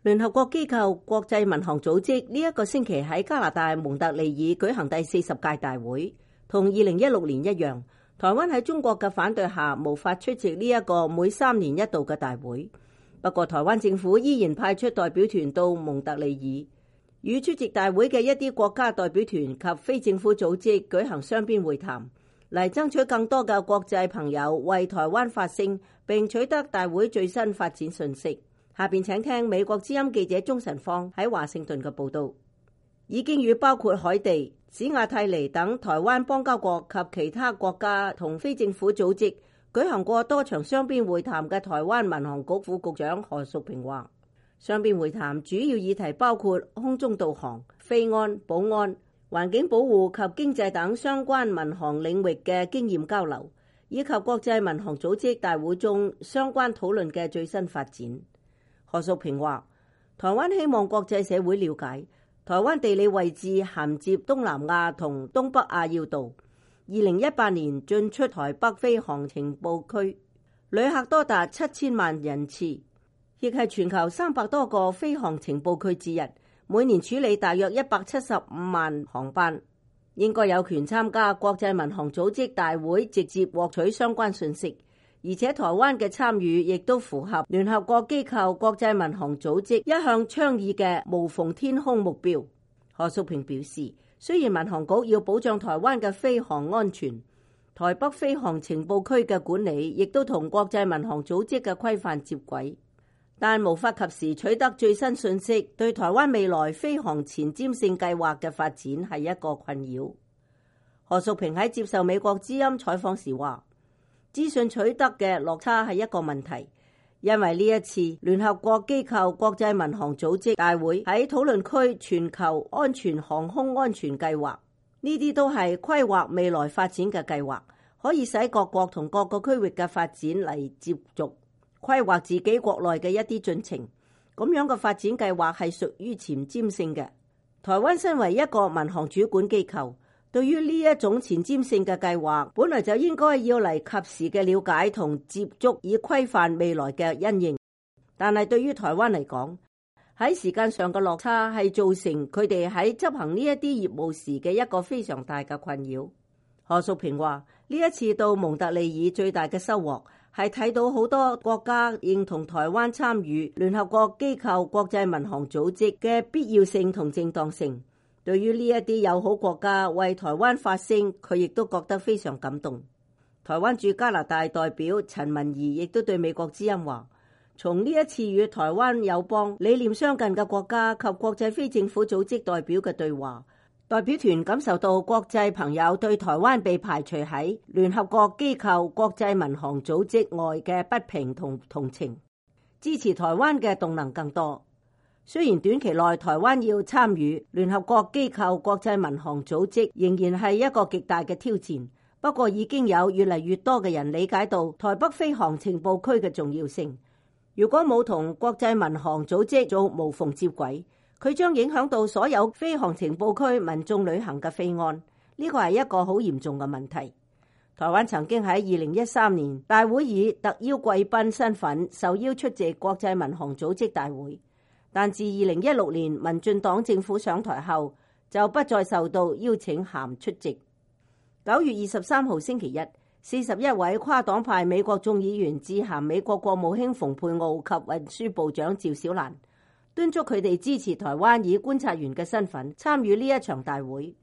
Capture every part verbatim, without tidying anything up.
聯合國機構國際民航組織呢一個星期喺加拿大蒙特利爾舉行第四十屆大會，同二零一六年一樣，台灣喺中國嘅反對下無法出席呢一個每三年一度嘅大會。不過台灣政府依然派出代表團到蒙特利爾，與出席大會嘅一啲國家代表團及非政府組織舉行雙邊會談，嚟爭取更多嘅國際朋友為台灣發聲，並取得大會最新發展訊息。下邊請聽美國之音記者鍾晨芳喺華盛頓嘅報道。已經與包括海地、史亞泰尼等台灣邦交國及其他國家同非政府組織舉行過多場雙邊會談嘅台灣民航局副局長何淑萍話，雙邊會談主要議題包括空中導航、飛安、保安、環境保護及經濟等相關民航領域嘅經驗交流，以及國際民航組織大會中相關討論嘅最新發展。何淑萍話，台灣希望國際社會了解台灣地理位置銜接東南亞同東北亞要道。二零一八年進出台北飛航情報區，旅客多達七千萬人次，亦係全球三百多個飛航情報區之一，每年處理大約一百七十五萬航班，應該有權參加國際民航組織大會，直接獲取相關信息。而且台灣嘅參與亦都符合聯合國機構國際民航組織一向倡議嘅無縫天空目標。何淑萍表示，雖然民航局要保障台灣嘅飛航安全，台北飛航情報區嘅管理亦都同國際民航組織嘅規範接軌，但無法及時取得最新信息，對台灣未來飛航前瞻性計劃嘅發展係一個困擾。何淑萍喺接受美國之音採訪時話，資訊取得嘅落差係一個問題，因為呢一次聯合國機構國際民航組織大會喺討論區全球安全航空安全計劃，呢啲都係規劃未來發展嘅計劃，可以使各國同各個區域嘅發展嚟接續規劃自己國內嘅一啲進程。咁樣嘅發展計劃係屬於前瞻性嘅。台灣身為一個民航主管機構，對於呢一種前瞻性嘅計劃，本來就應該要嚟及時嘅了解同接觸，以規範未來嘅因應。但係對於台灣嚟講，喺時間上嘅落差係造成佢哋喺執行呢一啲業務時嘅一個非常大嘅困擾。何淑萍話，呢一次到蒙特利爾最大嘅收穫係睇到好多國家認同台灣參與聯合國機構國際民航組織嘅必要性同正當性。對於呢一啲友好國家為台灣發聲，佢亦都覺得非常感動。台灣駐加拿大代表陳文儀亦都對美國之音話，從呢一次與台灣友邦理念相近嘅國家及國際非政府組織代表嘅對話，代表團感受到國際朋友對台灣被排除喺聯合國機構國際民航組織外嘅不平同同情，支持台灣嘅動能更多。雖然短期內台灣要參與聯合國機構國際民航組織仍然係一個極大嘅挑戰，不過已經有越嚟越多嘅人理解到台北飛航情報區嘅重要性。如果冇同國際民航組織做無縫接軌，佢將影響到所有飛航情報區民眾旅行嘅飛安，呢個係一個好嚴重嘅問題。台灣曾經喺二零一三年大會以特邀貴賓身份受邀出席國際民航組織大會，但自二零一六年民進黨政府上台後，就不再受到邀請函出席。九月二十三號星期一，四十一位跨黨派美國眾議員致函美國國務卿蓬佩奧及運輸部長趙小蘭，敦促佢哋支持台灣以觀察員嘅身份參與呢一場大會。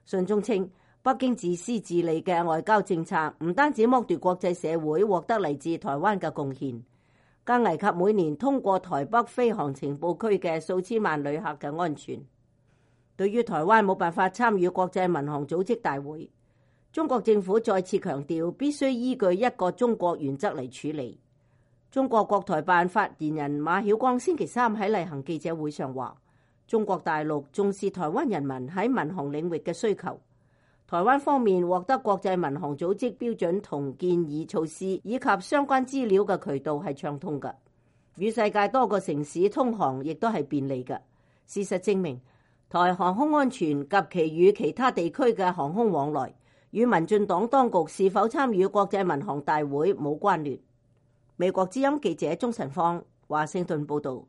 信中稱，北京自私自利嘅外交政策唔單止剝奪國際社會獲得嚟自台灣嘅貢獻，更危及每年通過台北飛航情報區嘅數千萬旅客嘅安全。對於台灣冇辦法參與國際民航組織大會，中國政府再次強調必須依據一個中國原則嚟處理。中國國台辦發言人馬曉光星期三喺例行記者會上話，中國大陸重視台灣人民喺民航領域嘅需求。台灣方面獲得國際民航組織標準同建議措施以及相關資料嘅渠道係暢通嘅，與世界多個城市通航亦都係便利嘅。事實證明，台航空安全及其與其他地區嘅航空往來，與民進黨當局是否參與國際民航大會冇關聯。美國之音記者鍾晨芳華盛頓報道。